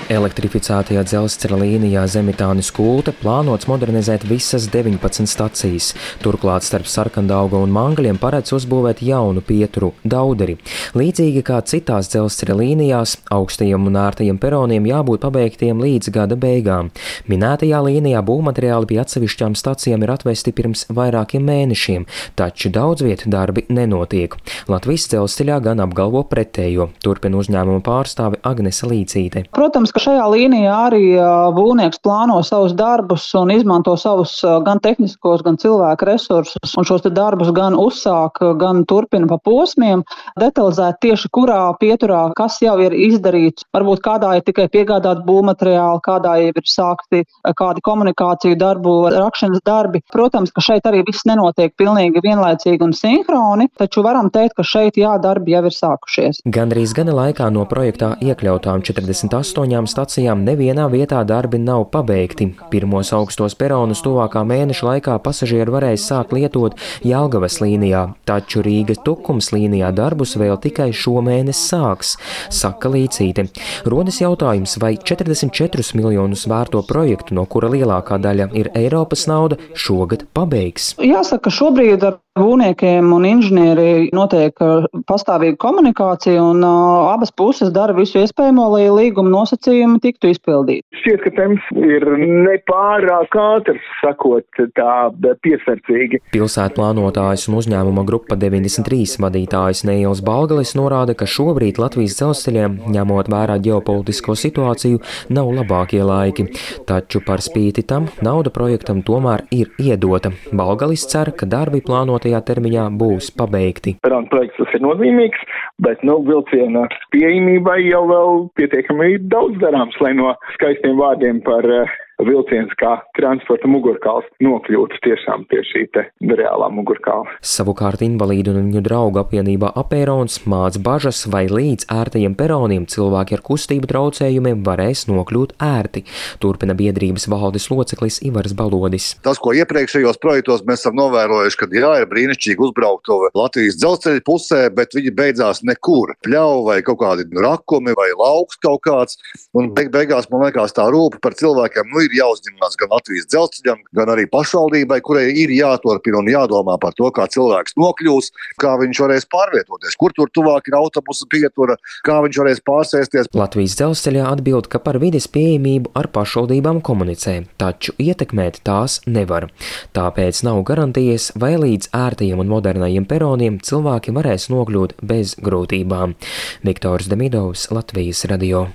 Elektrificētajā dzelzceļa līnijā Zemitānis–Kulte plānots modernizēt visas 19 stacijas. Turklāt starp Sarkandaugu un Mangļiem paredz uzbūvēt jaunu pieturu Dauderi. Līdzīgi kā citās dzelzceļa līnijās, augstajiem un ērtajiem peroniem jābūt pabeigtiem līdz gada beigām. Minētajā līnijā būvmateriāli pie atsevišķām stacijām ir atvesti pirms vairākiem mēnešiem, taču daudz vietu darbi nenotiek. Latvijas dzelzceļā gan apgalvo pretējo, turpina uzņēmuma pārstāve Agnese Līcīte. Protams, ka šajā līnijā arī būvnieks plāno savus darbus un izmanto savus gan tehniskos, gan cilvēku resursus, un šos darbus gan uzsāk, gan turpina pa posmiem, detalizēt tieši kurā pieturā, kas jau ir izdarīts. Varbūt kādā ir tikai piegādāt būvmateriāli, kādā jau ir sākti kādi komunikāciju darbu, rakšanas darbi. Protams, ka šeit arī viss nenotiek pilnīgi vienlaicīgi un sinhroni, taču varam teikt, ka šeit darbi jau ir sākušies. Gandrīz gada laikā no projektā iekļautām 48 stacijām nevienā vietā darbi nav pabeigti. Pirmos augstos peronus tuvākā mēneša laikā pasažieri varēs sākt lietot Jelgavas līnijā, taču Rīga–Tukums līnijā darbus vēl tikai šomēnes sāks, saka Līcīte. Rodas jautājums, vai 44 miljonus vērto projektu, no kura lielākā daļa ir Eiropas nauda, šogad pabeigs. Jāsaka, šobrīd ar būvniekiem un inženieri notiek pastāvīga komunikācija, un abas puses dara visu iespējamo, lai līguma nosacījumi tiktu izpildīti. Šķiet, ka temps ir nepārāk ātrs, sakot tā piesardzīgi. Pilsētplānotājs un uzņēmuma grupa 93 vadītājs Neils Balgalis norāda, ka šobrīd Latvijas dzelzceļiem, ņemot vērā ģeopolitisko situāciju, nav labākie laiki. Taču par spīti tam nauda projektam tomēr ir iedota. Balgalis cer, ka darbi plānotajā termiņā būs pabeigti. Perona projekts tas ir nozīmīgs, bet vilciena pieejamībai jau vēl pietiekami daudz darāms, lai no skaistiem vārdiem par vilciens kā transporta mugurkauls nokļūtu tiešām pie šī te reālā mugurkaula. Savukārt invalīdu un viņu draugu apvienībā Apērons māc bažas, vai līdz ērtajiem peroniem cilvēki ar kustību traucējumiem varēs nokļūt ērti. Turpina biedrības valdes loceklis Ivars Balodis. Tas, ko iepriekšējos projektos mēs esam novērojuši, kad ir brīnišķīgi uzbraukt Latvijas dzelzceļa pusē, bet viņi beidzās nekur. Pļauj vai kaut kādi rakumi vai lauks kaut kāds, un beigās man liekas tā rūpa par cilvēkiem, ir jāuzņemās gan Latvijas dzelzceļam, gan arī pašvaldībai, kurai ir jāturpina un jādomā par to, kā cilvēks nokļūs, kā viņš varēs pārvietoties, kur tur tuvāk ir autobusu pietura, kā viņš varēs pārsēsties. Latvijas dzelzceļā atbild, ka par vides pieejamību ar pašvaldībām komunicē, taču ietekmēt tās nevar. Tāpēc nav garantijas, vai līdz ērtajiem un modernajiem peroniem cilvēki varēs nokļūt bez grūtībām. Viktors Demidovs, Latvijas radio.